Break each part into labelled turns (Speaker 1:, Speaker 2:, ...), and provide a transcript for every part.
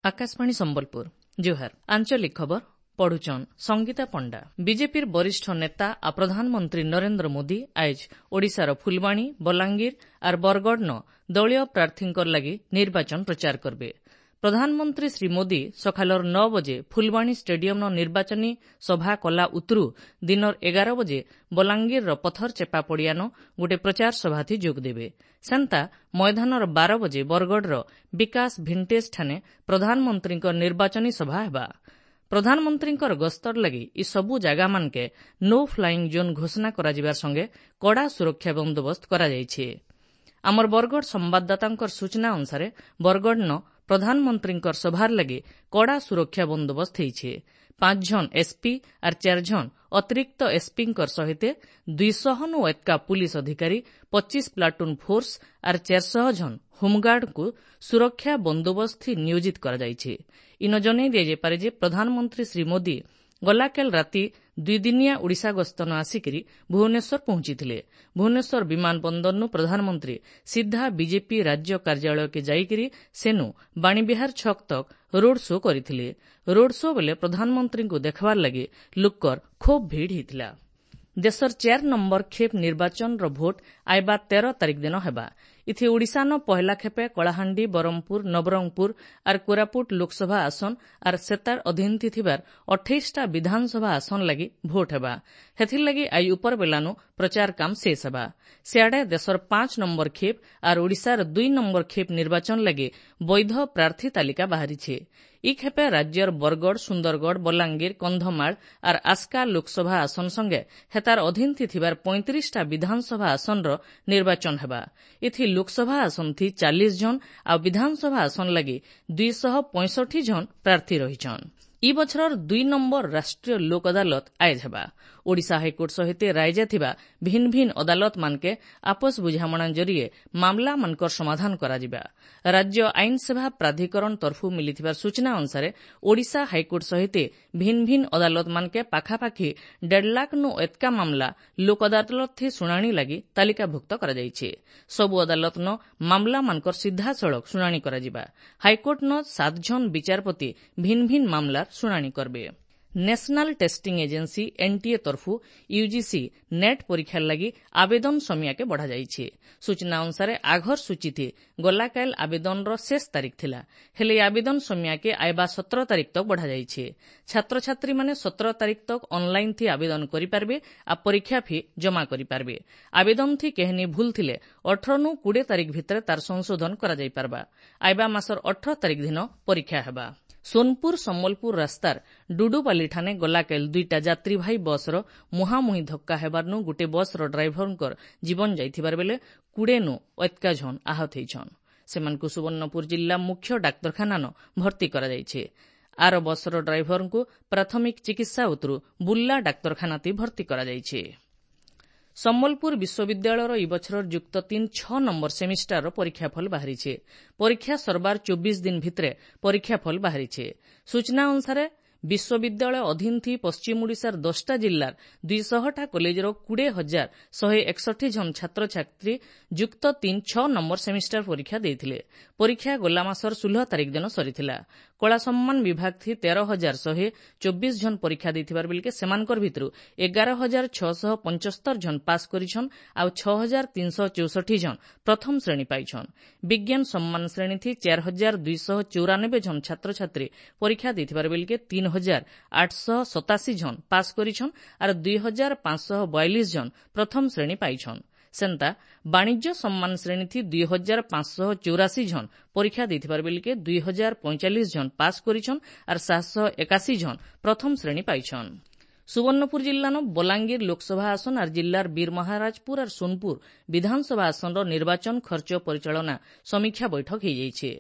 Speaker 1: ଆକାଶବାଣୀ ସମ୍ବଲପୁର, ଜୁହାର। ଆଞ୍ଚଳିକ ଖବର ପଢୁଛନ୍ ସଙ୍ଗୀତା ପଣ୍ଡା। ବିଜେପିର ବରିଷ୍ଠ ନେତା ଆଉ ପ୍ରଧାନମନ୍ତ୍ରୀ ନରେନ୍ଦ୍ର ମୋଦି ଆଏଜ୍ ଓଡ଼ିଶାର ଫୁଲବାଣୀ, ବଲାଙ୍ଗୀର ଆର୍ ବରଗଡ଼ନ ଦଳୀୟ ପ୍ରାର୍ଥୀଙ୍କର ଲାଗି ନିର୍ବାଚନ ପ୍ରଚାର କରବେ। ପ୍ରଧାନମନ୍ତ୍ରୀ ଶ୍ରୀ ମୋଦି ସକାଲର 9 ବଜେ ଫୁଲବାଣୀ ଷ୍ଟାଡିୟମ୍ନ ନିର୍ବାଚନୀ ସଭା କଲା ଉତ୍ରୁ ଦିନର 11 ବଜେ ବଲାଙ୍ଗୀରର ପଥରଚେପା ପଡ଼ିଆନ ଗୋଟିଏ ପ୍ରଚାର ସଭାଥି ଯୋଗଦେବେ। ସେନ୍ତା ମୈଦାନର 12 ବଜେ ବରଗଡ଼ର ବିକାଶ ଭିଣ୍ଟେଜ୍ଠାନେ ପ୍ରଧାନମନ୍ତ୍ରୀଙ୍କ ନିର୍ବାଚନୀ ସଭା ହେବା। ପ୍ରଧାନମନ୍ତ୍ରୀଙ୍କର ଗସ୍ତର ଲାଗି ଇ ସବୁ ଜାଗାମାନକେ ନୋ ଫ୍ଲାଇଂ ଜୋନ୍ ଘୋଷଣା କରାଯିବାର ସଙ୍ଗେ କଡ଼ା ସୁରକ୍ଷା ବନ୍ଦୋବସ୍ତ କରାଯାଇଛି। ଆମର ବରଗଡ଼ ସମ୍ବାଦଦାତାଙ୍କର ସୂଚନା ଅନୁସାରେ ବରଗଡ଼ନ ପ୍ରଧାନମନ୍ତ୍ରୀଙ୍କର ସଭାର ଲାଗି କଡ଼ା ସୁରକ୍ଷା ବନ୍ଦୋବସ୍ତ ହେଇଛେ। 5 ଜଣ ଏସ୍ପି ଆର୍ 4 ଜଣ ଅତିରିକ୍ତ ଏସ୍ପିଙ୍କର ସହିତ 200ନୁ ଏତ୍କା ପୁଲିସ ଅଧିକାରୀ, 25 ପ୍ଲାଟୁନ୍ ଫୋର୍ସ ଆର୍ 400 ଜଣ ହୋମ୍ଗାର୍ଡଙ୍କୁ ସୁରକ୍ଷା ବନ୍ଦୋବସ୍ତ ନିୟୋଜିତ କରାଯାଇଛି। ଇନ ଜଣେଇ ଦିଆଯାଇପାରେ ଯେ ପ୍ରଧାନମନ୍ତ୍ରୀ ଶ୍ରୀ ମୋଦି ଗଲାକାଲି ରାତି ଦୁଇଦିନିଆ ଓଡ଼ିଶା ଗସ୍ତନ ଆସିକରି ଭୁବନେଶ୍ୱର ପହଞ୍ଚିଥିଲେ। ଭୁବନେଶ୍ୱର ବିମାନ ବନ୍ଦରନୁ ପ୍ରଧାନମନ୍ତ୍ରୀ ସିଧା ବିଜେପି ରାଜ୍ୟ କାର୍ଯ୍ୟାଳୟକେ ଯାଇକରି ସେନୁ ବାଣୀବିହାର ଛକ୍ ତକ୍ ରୋଡ୍ ଶୋ କରିଥିଲେ। ରୋଡ୍ ଶୋ ବେଲେ ପ୍ରଧାନମନ୍ତ୍ରୀଙ୍କୁ ଦେଖବାର ଲାଗି ଲୁକର ଖୁବ୍ ଭିଡ଼ ହେଇଥିଲା। ଦେଶର 4 ନମ୍ବର ଖେପ୍ ନିର୍ବାଚନର ଭୋଟ ଆଇବା 13 ତାରିଖ ଦିନ ହେବା। ଇଥି ଓଡ଼ିଶାନ ପହେଲା ଖେପେ କଳାହାଣ୍ଡି, ବ୍ରହ୍ମପୁର, ନବରଙ୍ଗପୁର ଆର୍ କୋରାପୁଟ ଲୋକସଭା ଆସନ ଆର୍ ସେତାର ଅଧୀନଥି ଥିବାର 28ଟା ବିଧାନସଭା ଆସନ ଲାଗି ଭୋଟ ହେବା। ହେଥିର୍ଲାଗି ଆଇଜ୍ ଉପରବେଲାନୁ ପ୍ରଚାର କାମ ଶେଷ ହେବା। ସିଆଡ଼େ ଦେଶର 5 ନମ୍ବର ଖେପ୍ ଆର୍ ଓଡ଼ିଶାର 2 ନମ୍ବର ଖେପ୍ ନିର୍ବାଚନ ଲାଗି ବୈଧ ପ୍ରାର୍ଥୀ ତାଲିକା ବାହାରିଛେ। ଇ ଖେପେ ରାଜ୍ୟର ବରଗଡ଼, ସୁନ୍ଦରଗଡ଼, ବଲାଙ୍ଗୀର, କନ୍ଧମାଳ ଆର୍ ଆସ୍କା ଲୋକସଭା ଆସନ ସଙ୍ଗେ ହେତାର ଅଧୀନଥି ଥିବାର 35ଟା ବିଧାନସଭା ଆସନର ନିର୍ବାଚନ ହେବା। ଏଥି ଲୋକସଭା ଆସନଥି 40 ଜଣ ଆଉ ବିଧାନସଭା ଆସନ ଲାଗି 265 ଜଣ ପ୍ରାର୍ଥୀ ରହିଛନ୍। ଇ ବଛରର 2 ନମ୍ବର ରାଷ୍ଟ୍ରୀୟ ଲୋକ ଅଦାଲତ ଆଏଜ୍ ହେବା। ଓଡ଼ିଶା ହାଇକୋର୍ଟ ସହିତ ରାଇଜେ ଥିବା ଭିନ୍ ଭିନ୍ ଅଦାଲତମାନକେ ଆପୋଷ ବୁଝାମଣା ଜରିଏ ମାମଲାମାନଙ୍କର ସମାଧାନ କରାଯିବା। ରାଜ୍ୟ ଆଇନ ସେବା ପ୍ରାଧିକରଣ ତରଫୁ ମିଳିଥିବା ସୂଚନା ଅନୁସାରେ ଓଡ଼ିଶା ହାଇକୋର୍ଟ ସହିତ ଭିନ୍ ଭିନ୍ ଅଦାଲତମାନକେ ପାଖାପାଖି 1.5 ଲାଖ୍ନୁ ଏତ୍କା ମାମଲା ଲୋକ ଅଦାଲତଥି ଶୁଣାଣି ଲାଗି ତାଲିକାଭୁକ୍ତ କରାଯାଇଛି। ସବୁ ଅଦାଲତନ ମାମଲାମାନଙ୍କର ସିଧାସଳଖ ଶୁଣାଣି କରାଯିବା। ହାଇକୋର୍ଟନ 7 ଜଣ ବିଚାରପତି ଭିନ୍ ଭିନ୍ ମାମଲାର ଶୁଣାଣି କରବେ। ନ୍ୟାସନାଲ ଟେଷ୍ଟିଂ ଏଜେନ୍ସି ଏନ୍ଟିଏ ତରଫୁ ୟୁଜିସି ନେଟ୍ ପରୀକ୍ଷାର ଲାଗି ଆବେଦନ ସମିଆକେ ବଢ଼ାଯାଇଛି। ସୂଚନା ଅନୁସାରେ ଆଘର ସୂଚୀଥି ଗଲାକାଲି ଆବେଦନର ଶେଷ ତାରିଖ ଥିଲା। ହେଲେ ଏହି ଆବେଦନ ସମିଆକେ ଆଇବା 17 ତାରିଖ ତକ୍ ବଢ଼ାଯାଇଛି। ଛାତ୍ରଛାତ୍ରୀମାନେ 17 ତାରିଖ ତକ୍ ଅନ୍ଲାଇନ୍ ଥି ଆବେଦନ କରିପାରିବେ ଆଉ ପରୀକ୍ଷା ଫି ଜମା କରିପାରିବେ। ଆବେଦନ ଥି କେହେନି ଭୁଲ ଥିଲେ 18ନୁ 20 ତାରିଖ ଭିତରେ ତାର ସଂଶୋଧନ କରାଯାଇପାରବା। ଆଇବା ମାସର 18 ତାରିଖ ଦିନ ପରୀକ୍ଷା ହେବା। ସୋନପୁର ସମ୍ବଲପୁର ରାସ୍ତାର ଡୁଡୁପାଲିଠାନେ ଗଲାକାଲି ଦୁଇଟା ଯାତ୍ରୀବାହୀ ବସ୍ର ମୁହାଁମୁହିଁ ଧକ୍କା ହେବାରନୁ ଗୋଟିଏ ବସ୍ର ଡ୍ରାଇଭରଙ୍କର ଜୀବନ ଯାଇଥିବାର ବେଲେ 20ନୁ ଏତ୍କା ଜଣ ଆହତ ହେଇଛନ୍। ସେମାନଙ୍କୁ ସୁବର୍ଣ୍ଣପୁର ଜିଲ୍ଲା ମୁଖ୍ୟ ଡାକ୍ତରଖାନାନ ଭର୍ତ୍ତି କରାଯାଇଛି। ଆର ବସ୍ର ଡ୍ରାଇଭରଙ୍କୁ ପ୍ରାଥମିକ ଚିକିତ୍ସା ଉତରୁ ବୁର୍ଲା ଡାକ୍ତରଖାନାତି ଭର୍ତ୍ତି କରାଯାଇଛି। ସମ୍ବଲପୁର ବିଶ୍ୱବିଦ୍ୟାଳୟର ଇ ବଛରର ଯୁକ୍ତ 3 6 ନମ୍ବର ସେମିଷ୍ଟାରର ପରୀକ୍ଷାଫଳ ବାହାରିছে। ପରୀକ୍ଷା ସରବାର 24 ଦିନ ଭିତରେ ପରୀକ୍ଷାଫଳ ବାହାରିছে। ସୂଚନା ଅନୁସାରେ ବିଶ୍ୱବିଦ୍ୟାଳୟ ଅଧୀନ ଥି ପଶ୍ଚିମ ଓଡ଼ିଶାର 10ଟା ଜିଲ୍ଲାର 200ଟା କଲେଜର 20,161 ଜଣ ଛାତ୍ରଛାତ୍ରୀ ଯୁକ୍ତ 3 6 ନମ୍ବର ସେମିଷ୍ଟାର ପରୀକ୍ଷା ଦେଇଥିଲେ। ପରୀକ୍ଷା ଗଲା ମାସର 16 ତାରିଖ ଦିନ ସରିଥିଲା। କଳା ସମ୍ମାନ ବିଭାଗ ଥି 13,124 ଜଣ ପରୀକ୍ଷା ଦେଇଥିବାର ବେଲକେ ସେମାନଙ୍କର ଭିତରୁ 11,675 ଜଣ ପାସ୍ କରିଛନ୍ ଆଉ 6,364 ଜଣ ପ୍ରଥମ ଶ୍ରେଣୀ ପାଇଛନ୍। ବିଜ୍ଞାନ ସମ୍ମାନ ଶ୍ରେଣୀ ଥି 4,294 ଜଣ ଛାତ୍ରଛାତ୍ରୀ ପରୀକ୍ଷା ଦେଇଥିବାର ବେଲକେ 3,887 ଜଣ ପାସ୍ କରିଛନ୍ ଆର୍ 2,542 ଜଣ ପ୍ରଥମ ଶ୍ରେଣୀ ପାଇଛନ୍। ସେନ୍ତା ବାଣିଜ୍ୟ ସମ୍ମାନ ଶ୍ରେଣୀଥି 2,584 ଜଣ ପରୀକ୍ଷା ଦେଇଥିବାର ବେଲକେ 2,045 ଜଣ ପାସ୍ କରିଛନ୍ ଆର୍ 781 ଜଣ ପ୍ରଥମ ଶ୍ରେଣୀ ପାଇଛନ୍। ସୁବର୍ଣ୍ଣପୁର ଜିଲ୍ଲାନ ବଲାଙ୍ଗୀର ଲୋକସଭା ଆସନ ଆର୍ ଜିଲ୍ଲାର ବୀରମହାରାଜପୁର ଆର୍ ସୋନପୁର ବିଧାନସଭା ଆସନର ନିର୍ବାଚନ ଖର୍ଚ୍ଚ ପରିଚାଳନା ସମୀକ୍ଷା ବୈଠକ ହୋଇଯାଇଛି।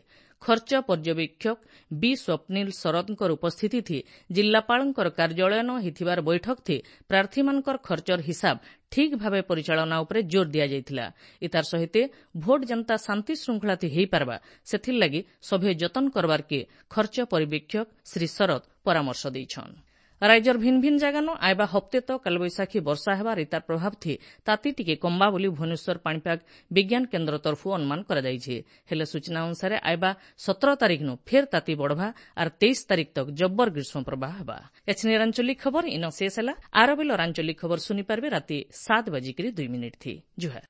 Speaker 1: ଖର୍ଚ୍ଚ ପର୍ଯ୍ୟବେକ୍ଷକ ବି ସ୍ୱପ୍ନିଲ ଶରତଙ୍କର ଉପସ୍ଥିତିଥି ଜିଲ୍ଲାପାଳଙ୍କର କାର୍ଯ୍ୟାଳୟନ ହୋଇଥିବାର ବୈଠକଥି ପ୍ରାର୍ଥୀମାନଙ୍କର ଖର୍ଚ୍ଚର ହିସାବ ଠିକ୍ ଭାବେ ପରିଚାଳନା ଉପରେ ଜୋର ଦିଆଯାଇଥିଲା। ଇତାର ସହିତ ଭୋଟ ଯେନ୍ତା ଶାନ୍ତି ଶୃଙ୍ଖଳାଥି ହେଇପାରବା ସେଥିର୍ଲାଗି ସଭେ ଯତନ କରବାର୍କେ ଖର୍ଚ୍ଚ ପରିବେକ୍ଷକ ଶ୍ରୀ ଶରତ ପରାମର୍ଶ ଦେଇଛନ୍। ରାଜ୍ୟର ଭିନ୍ ଭିନ୍ ଜାଗାନ ଆଇବା ହପ୍ତେ ତକ୍ କାଲବୈଶାଖୀ ବର୍ଷା ହେବାର ଇତାର ପ୍ରଭାବ ଥି ତାତି ଟିକେ କମ୍ବା ବୋଲି ଭୁବନେଶ୍ୱର ପାଣିପାଗ ବିଜ୍ଞାନ କେନ୍ଦ୍ର ତରଫୁ ଅନୁମାନ କରାଯାଇଛି। ହେଲେ ସୂଚନା ଅନୁସାରେ ଆଇବା 17 ତାରିଖନୁ ଫେର୍ ତାତି ବଢ଼ବା ଆର୍ 23 ତାରିଖ ତକ୍ ଜବ୍ବର ଗ୍ରୀଷ୍ମ ପ୍ରବାହ ହେବା। ଏଛିନିର ଆଞ୍ଚଳିକ ଖବର ଇନ ଶେଷ ହେଲା। ଆର ବେଲର ଆଞ୍ଚଳିକ ଖବର ଶୁନିପାରବେ ରାତି 7:02 ଥି। ଜୁହାର।